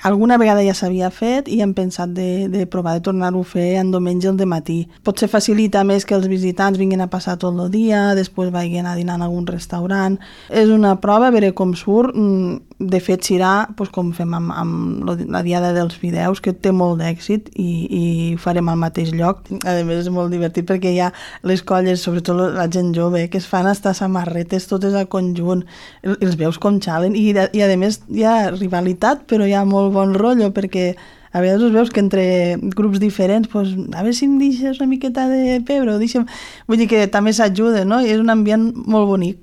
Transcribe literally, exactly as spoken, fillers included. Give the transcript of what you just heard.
Alguna vegada ja s'havia fet i hem pensat de, de provar de tornar-ho a fer en diumenge al dematí. Potser facilita més que els visitants vinguin a passar tot el dia, després vagin a dinar en algun restaurant. És una prova, a veure com surt. De fet, serà doncs, com fem amb, amb la diada dels fideus, que té molt d'èxit i, i ho farem al mateix lloc. A més, és molt divertit perquè hi ha les colles, sobretot la gent jove, que es fan estar samarretes totes a conjunt. Els veus com xalen i, i a més hi ha rivalitat, però hi ha molt bon rotllo perquè a vegades us veus que entre grups diferents pues, a veure si em deixes una miqueta de pebre o deixa'm... vull dir que també s'ajuda, no? I és un ambient molt bonic.